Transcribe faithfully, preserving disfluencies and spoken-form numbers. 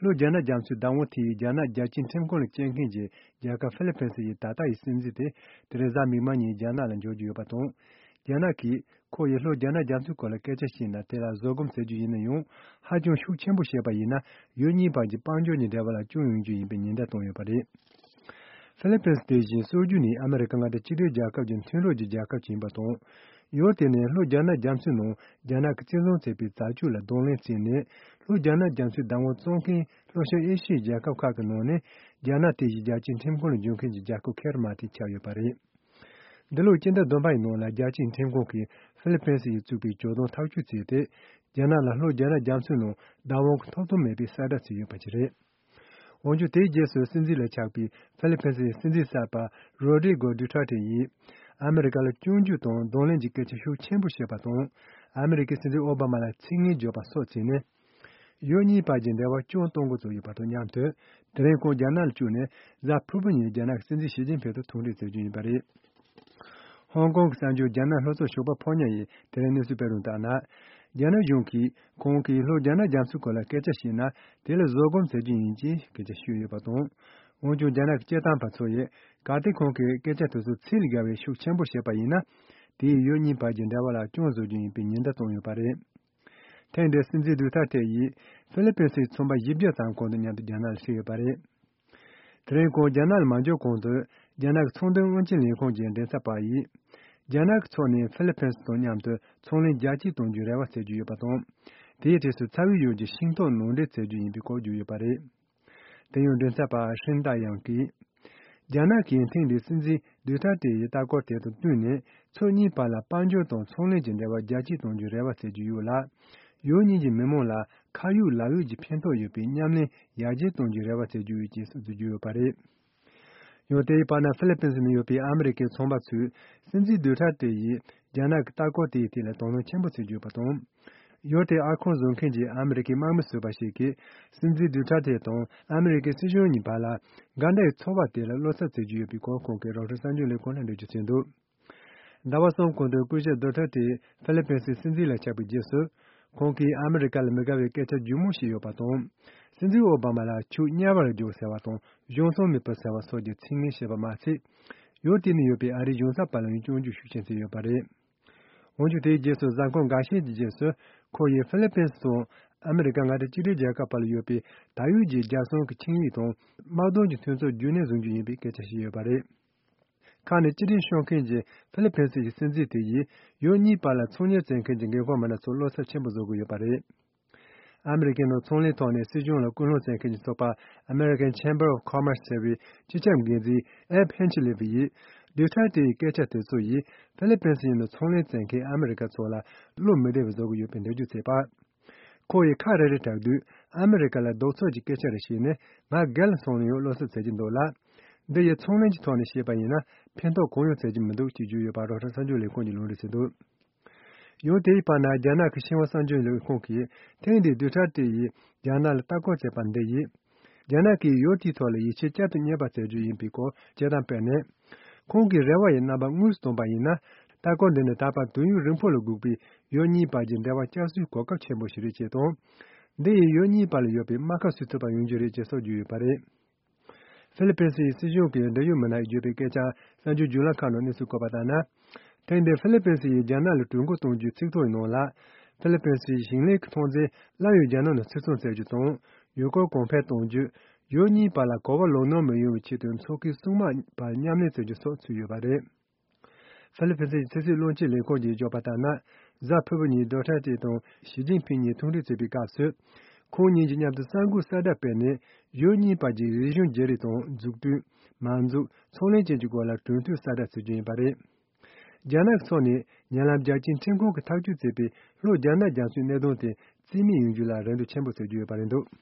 ལྷོ་རྒྱ་ནག་རྒྱ་མཚོའི་བདག་དབང་དེའི་རྒྱ་ནག་རྒྱལ་སྤྱིའི་ཁྲིམས་ཁང་ལ་བཅར་མཁན་གྱི་རྒྱལ་ཁབ་ཧྥི་ལི་ཕིན་སི་ཡི་ད་ལྟ་ཡི་སྲིད་འཛིན་དེ་དེ་རིང་གཟའ་མིག་དམར་ཉིན་རྒྱ་ནག་ལ་འབྱོར་རྒྱུ་ཡོད་པ་དང་། རྒྱ་ནག་གིས་ཁོ་ཡིས་ལྷོ་རྒྱ་ནག་རྒྱ་མཚོའི་སྐོར་ལ་སྐད་ཆ་བཤད་ན་དེ་ལ་བཟོད་སྒོམ་ཟེར་རྒྱུ་ཡིན་ན་ཡང་། ཧ་ཅང་ཤུགས་ཆེན་པོ་བཤད་པ་ཡིན་ན་ཡུལ་གཉིས་བར་གྱི་དཔལ་འབྱོར་གྱི་འབྲེལ་བ་ལ་སྐྱོན་ཡོང་རྒྱུ་ཡིན་པའི་ཉེན་བརྡ་བཏང་ཡོད་པ་རེད། ཧྥི་ལི་ཕིན་སི་དེ་བཞིན་སྲོལ་རྒྱུན་ནས་ཨ་མེ་རི་ཀ་མངའ་སྡེ་གཅིག་སྒྲིལ་རྒྱལ་ཁབ་ཀྱི་མཐུན་གྲོགས་ཀྱི་རྒྱལ་ཁབ་ཅིག་ཡིན་པ་དང་། ཡུལ་དེ་ནི་ལྷོ་རྒྱ་ནག་རྒྱ་མཚོའི་ནང་རྒྱ་ནག་གིས་བཙན་བཟུང་བྱས་པའི་རྫ་ཆུ་ལ་གདོང་ལེན་བྱས་ནས། ལྷོ་རྒྱ་ནག་རྒྱ་མཚོའི་བདག་དབང་བཙོང་མཁན་ལྷོ་ཤར་ཨེ་ཤི་ཡའི་རྒྱལ་ཁབ་ཁག་གི་ནང་ནས་རྒྱ་ནག་དེ་བཞིན་རྒྱལ་སྤྱིའི་ཁྲིམས་ཁང་ལ་འབྱོར་མཁན་གྱི་རྒྱལ་ཁབ་ཁེ་ར་མ་ཐིག་ཆགས་ཡོད་པ་རེད། འདི་ལོའི་སྤྱི་ཟླ་བདུན་པ་ཡི་ནང་ལ་རྒྱལ་སྤྱིའི་ཁྲིམས་ཁང་གིས་ཧྥི་ལི་ཕིན་སི་ཡིས་བཙུགས་པའི་ཇོ་བདག་ཐག་གཅོད་བྱས་ཏེ། རྒྱ་ནག་ལ་ལྷོ་རྒྱ་ནག་རྒྱ་མཚོའི་ནང་བདག་དབང་གི་ཐོབ་ཐང་མེད་པའི་གསལ་བསྒྲགས་བྱས་ཡོད་པ་ཞིག་རེད། འོན་ཀྱང་། དེའི་རྗེས་སུ་སྲིད་འཛིན་ལ་ཆགས་པའི་ཧྥི་ལི་ཕིན་སི་ཡི་སྲིད་འཛིན་གསར་པ་རོ་ཌི་རི་གོ་ཌུ་ཐར་ཏེ་ཡིས་ཨ་མེ་རི་ཀ་ལ་སྐྱོན་བརྗོད་དང་གདོང་ལེན་གྱི་སྐད་ཆ་ཤུགས་ཆེན་པོ་བཤད་པ་དང་། ཨ་མེ་རི་ཀའི་སྲིད་འཛིན་ཨོ་བྷ་མ་ལ་ཚིག་ངན་བརྗོད་པ་སོགས་བྱས་ནས། ཡུལ་གཉིས་བར་གྱི་འབྲེལ་བ་སྐྱོན་གཏོང་འགོ་བཙུགས་ཡོད་པ་དང་མཉམ་དུ། དེ་རིང་ཁོང་རྒྱ་ནག་ལ་བཅུག་ནས་གཟའ་ཕུར་བུ་ཉིན་རྒྱ་ནག་གི་སྲིད་འཛིན་ཞི་ཅིན་ཕིང་དང་ཐུག་འཕྲད་མཛད་རྒྱུ་ཡིན་པ་རེད། ཧོང་ཀོང་གི་གསར་འགྱུར་རྒྱ་ནག་ལྷོ་ཕྱོགས་ཞོགས་པ་ཕོ་ཉ་ཡིས་དེ་རིང་གནས་ཚུལ་སྤེལ་རུང་ལྟར་ན། རྒྱ་ནག་གཞུང་གིས་ཁོང་གིས་ལྷོ་རྒྱ་ནག་རྒྱ་མཚོའི་སྐོར་ལ་སྐད་ཆ་བཤད་ན་དེ་ལ་བཟོད་སྒོམ་ཟེར་རྒྱུ་ཡིན་ཅེས་སྐད་ཆ་ཤོད་ཡོད་པ་དང་། འོན་ཀྱང་རྒྱ་ནག་གི་སྐད་བཏང་པ་ཚོ་ཡིས་གལ་ཏེ་ཁོང་གིས་སྐད་ཆ་དེ་ཚོ་ཚིག་ལ་བརྒལ་བའི་ཤུགས་ཆེན་པོ་བཤད་པ་ཡིན་ན། དེས་ཡུལ་གཉིས་བར་གྱི་འབྲེལ་བ་ལ་སྐྱོན་བཟོ་རྒྱུ་ཡིན་པའི་ཉེན་བརྡ་བཏང་ཡོད་པ་རེད། ཐེངས་འདིར་སྲིད་འཛིན་ཌུ་ཐར་ཏེ་ཡིས་ཧྥི་ལི་ཕིན་སིའི་ཚོང་པ་བཞི་བརྒྱ་ཙམ་ཁོང་དང་མཉམ་དུ་རྒྱ་ནག་ལ་སླེབས་ཡོད་པ་རེད། དེ་རིང་ཁོང་རྒྱ་ནག་ལ་མ་འབྱོར་གོང་དུ། རྒྱ་ནག་གི་ཚོང་དོན་དབང་ཆའི་ལས་ཁུངས་ཀྱི་མགྲིན་ཚབ་པ་ཡིས། རྒྱ་ནག་གི་ཕྱོགས་ནས་ཧྥི་ལི་ཕིན་སི་དང་མཉམ་དུ་ཚོང་ལས་རྒྱ་སྐྱེད་གཏོང་རྒྱུའི་རེ་བ་བྱེད་ཀྱི་ཡོད་པ་དང་། དེའི་གྲས་སུ་ཚ་བའི་ཡུལ་གྱི་ཤིང་ཏོག་ནང་འདྲེན་བྱེད་རྒྱུ་ཡིན་པའི་སྐོར་བརྗོད་ཡོད་པ་རེད། དེ་ཡང་མགྲིན་ཚབ་པ་ཧྲིན་ཏཱ་ཡང་གིས། རྒྱ་ནག་གིས་ཐེངས་འདིའི་སྲིད་འཛིན་ཌུ་ཐར་ཏེ་ཡི་ལྟ་སྐོར་དེ་དང་བསྟུན་ནས། ཕྱོགས་གཉིས་བར་ལ་དཔལ་འབྱོར་དང་ཚོང་ལས་ཀྱི་འབྲེལ་བ་རྒྱ་སྐྱེད་གཏོང་རྒྱུའི་རེ་བ་བྱེད་ཀྱི་ཡོད་ལ། ཡུལ་གཉིས་ཀྱི་མི་མང་ལ་ཁ་ཡོད་ལག་ཡོད་ཀྱི་ཕན་ཐོགས་ཡོད་པའི་མཉམ་ལས་ཡར་རྒྱས་གཏོང་རྒྱུའི་རེ་བ་བྱེད་ཀྱི་ཡོད་ཅེས་སོགས་བརྗོད་ཀྱི་ཡོད་པ་རེད། ཡང་དེའི་བར་ན་ཧྥི་ལི་ཕིན་སི་ནང་ཡོད་པའི་ཨ་མི་རི་ཀའི་ཚོང་པ་ཚོས་སྲིད་འཛིན་ཌུ་ཐར་ཏེ་ཡིས་རྒྱ་ནག་གི་ལྟ་སྐོར་དེའི་ཐད་ལ་དོ་སྣང་ཆེན་པོ་བྱེད་ཀྱི་ཡོད་པ་དང་། ཡུལ་དེའི་ཨར་ཁང་བཟོ་མཁན་གྱི་ཨ་མི་རི་ཀའི་དམག་མི་ཟུར་པ་ཞིག་གིས་སྲིད་འཛིན་ཌུ་ཐར་ཏེ་དང་ཨ་མི་རི་ཀའི་སྲིད་གཞུང་གཉིས་བར་ལ་འགལ་ཟླའི་ཚོར་བ་དེ་ལ་བློ་འཚབ་བྱེད་ཀྱི་ཡོད་པའི་སྐོར་ཁོང་གིས་རོའི་ཊར་གསར་འགྱུར་ལས་ཁུངས་ལ་འགྲེལ་བརྗོད་བྱས་འདུག་ཟླ་བ་གསུམ་གོང་དུ་སྐུ་ཞབས་ཌུ་ཐར་ཏེ་ཧྥི་ལི་ཕིན་སིའི་སྲིད་འཛིན་ལ་ཆགས་པའི་རྗེས་སུ། ཁོང་གིས་ཨ་མི་རི་ཀ་ལ་མི་དགའ་བའི་སྐད་ཆ་ལྗིད་མོ་ཞིག་ཡོད་པ་དང་། སྲིད་འཛིན་ཨོ་བྷ་མ་ལ་ཆོས་དམྱལ་བར་འཇོག་ཟེར་བ་དང་གཞུང་སྲུང་མི་ཕོད་ཟེར་བ་སོགས་ཀྱི་ཚིག་ངན་བཤད་པ་མ་ཚད། ཡུལ་དེ་ནས་ཡོད་པའི་ཨ་རིའི་གཞུང་ཚབ་པ་ལ་ཡང་སྐྱོན་བརྗོད་ཤུགས་ཆེན་བྱས་ཡོད་པ་རེད། འོན་ཀྱང་དེའི་རྗེས་སུ་གཟའ་འཁོར་འགའ་ཤས་ཀྱི་རྗེས་སུ་ཁོ་ཡིས་ཧྥི་ལི་ཕིན་སི་དང་ཨ་མི་རི་ཀ་མངའ་སྡེ་གཅིག་སྒྲིལ་རྒྱལ་ཁབ་བར་ལ་ཡོད་པའི་ད་ཡོད་ཀྱི་རྒྱལ་སྲུང་གི་ཆིངས་ཡིག་དང་དམག་དོན་གྱི་མཐུན་ཚོགས་རྒྱུན་གནས་བཟུང་རྒྱུ་ཡིན་པའི་སྐད་ཆ་བཤད་ཡོད་པ་རེད། ཁ་ནས་ཅི་སྒྲིལ་ཤོར་མཁན་གྱི་ཧྥི་ལི་ཕིན་སི་ཡི་སྲིད་འཛིན་དེ་ཡིས་ཡུལ་གཉིས་བར་ལ་ཚོང་གཉེར་བྱེད་མཁན་གྱི་འགན་ཁུར་མི་སྣ་ཚོར་བློ་འཚབ་ཆེན་པོ་བཟོ་གི་ཡོད་པ་རེད། ཨ་མི་རི་ཀའི་ནང་ཚོང་ལས་ཐོག་ནས་སྲིད་གཞུང་ལ་སྐུལ་སློང་བྱེད་མཁན་གྱི་ཚོགས་པ་American Chamber of Commerce ཟེར་བའི་སྤྱི་ཁྱབ་འགན་འཛིན་ཨེབ་ཧན་ཆི་ལི་ཝི་ཡིས། ཌུ་ཐར་ཏེ་ཡི་སྐད་ཆ་དེ་ཚོ་ཡིས་ཧྥི་ལི་ཕིན་སི་ཡི་ནང་ཚོང་ལས་བྱེད་མཁན་ཨ་མི་རི་ཀ་ཚོ་ལ་བློ་མི་བདེ་བ་བཟོ་གི་ཡོད་པའི་འགྲེལ་བརྗོད་བྱས་པ། ཁོ་ཡིས་ཁ་རེ་རེ་གྲགས་དུས་ཨ་མི་རི་ཀ་ལ་ལྡོག་ཕྱོགས་ཀྱི་སྐད་ཆ་རེ་བཤད་ནས་ང་སྒེར་ལ་སོང་ནས་ཡང་བློ་འཚབ་བྱེད་ཀྱི་འདུག་ལ། འདི་ཡི་ཚོང་ལས་ཀྱི་ཐོག་ནས་བཤད་པ་ཡིན་ན་ཕན་ཐོགས་གང་ཡང་བྱེད་ཀྱི་མི་འདུག་ཅེས་བརྗོད་ཡོད་པ་རོའི་ཊར་གསར་འགྱུར་ལས་ཁུངས་ཀྱིས་ལུང་འདྲེན་བྱས་འདུག་ཡང་དེའི་བར་ན་རྒྱ་ནག་གི་ཤིན་ཧྭ་གསར་འགྱུར་ལས་ཁུངས་ཀྱིས་ཐེངས་འདིའི་ཌུ་ཐར་ཏེ་ཡིས་རྒྱ་ནག་ལ་ལྟ་སྐོར་བྱས་པ་འདི་ཡིས། རྒྱ་ནག་གིས་ཡུལ་དེའི་ཐོག་ལ་ཡིད་ཆེས་བསྐྱར་དུ་རྙེད་པ་བྱ་རྒྱུ་ཡིན་པའི་སྐོར་དཔྱད་གཏམ་སྤེལ་ནས། ཁོང་གི་རེ་བ་ཡི་རྣམ་པ་དངོས་སུ་བཏོན་པ་ཡིན་ན། ལྟ་སྐོར་འདི་ནི་ད་བར་དུས་ཡུན་རིང་པོ་ལ་སྒུག་པའི་ཡུལ་གཉིས་བར་གྱི་འབྲེལ་བ་བསྐྱར་གསོའི་གོ་སྐབས་ཆེན་པོ་ཞིག་རེད་ཅེས་དང་། འདི་ཡིས་ཡུལ་གཉིས་བར་ལ་ཡོད་པའི་རྨ་ཁ་སུ་ཐུབ་པ་ཡོང་རྒྱུ་རེད་ཅེས་སོགས་བརྗོད་ཡོད་པ་རེད། ཧྥི་ལི་ཕིན་སིའི་སྲིད་གཞུང་གི་འབྲེལ་ཡོད་མི་སྣས་བརྗོད་པའི་སྐད་ཆ་གསར་འགྱུར་བརྒྱུད་ལམ་ཁག་ནང་གནས་ཚུལ་བཀོད་པ་ལྟར་ན། ཐེངས་འདིར་ཧྥི་ལི་ཕིན་སི་ཡིས་རྒྱ་ནག་ལ་གྲོས་འགོ་གཏོང་རྒྱུའི་ཚིག་ཐོ་ཡི་ནང་ལ། ཧྥི་ལི་ཕིན་སིའི་ཞིང་ལས་ཀྱི་ཐོན་རྫས་སླར་ཡང་རྒྱ་ནག་ནང་ཕྱིར་ཚོང་བྱ་རྒྱུ་དང་། ཡུལ་སྐོར་གོང་འཕེལ་གཏོང་རྒྱུ། ཡུལ་གཉིས་བར་ལ་གོ་བ་ལོག་སྣང་མི་ཡོང་བའི་ཆེད་དུ་མཚོ་ཁའི་སྲུང་དམག་བར་མཉམ་ལས་བྱ་རྒྱུ་སོགས་ཚུད་ཡོད་པ་རེད། ཧྥི་ལི་ཕིན་སིའི་ཕྱི་སྲིད་བློན་ཆེན་ལས་ཁུངས་ཀྱིས་བརྗོད་པ་ལྟར་ན། གཟའ་ཕུར་བུ་ཉིན་ཌོ་ཁྲ་ཏེ་དང་ཞི་ཅིན་ཕིང་གཉིས་ཐུག་འཕྲད་བྱེད་པའི་སྐབས་སུ། ཁོང་གཉིས་ཀྱིས་མཉམ་དུ་གསར་འགོད་གསལ་བསྒྲགས་སྤེལ་ནས། ཡུལ་གཉིས་བར་གྱི་རིག་གཞུང་བརྗེ་རེས་དང་འཛུགས་སྐྲུན། མ་འཛུགས། ཚོང་ལས་བཅས་ཀྱི་སྐོར་ལ་གྲོས་མཐུན་གསལ་བསྒྲགས་བྱེད་རྒྱུ་ཡིན་པ་རེད། རྒྱ་ནག་གི་ཕྱོགས་ནས་ཉེ་ལམ་རྒྱལ་སྤྱིའི་ཁྲིམས་ཁང་གིས་ཐག་གཅོད་བྱས་པའི་ལྷོ་རྒྱ་ནག་རྒྱ་མཚོའི་གནད་དོན་དེ་རྩིས་མེད་ཡོང་རྒྱུ་ལ་རེ་འདུན་ཆེན་པོ་བྱེད་ཀྱི་ཡོད་པ་རེད་འདུག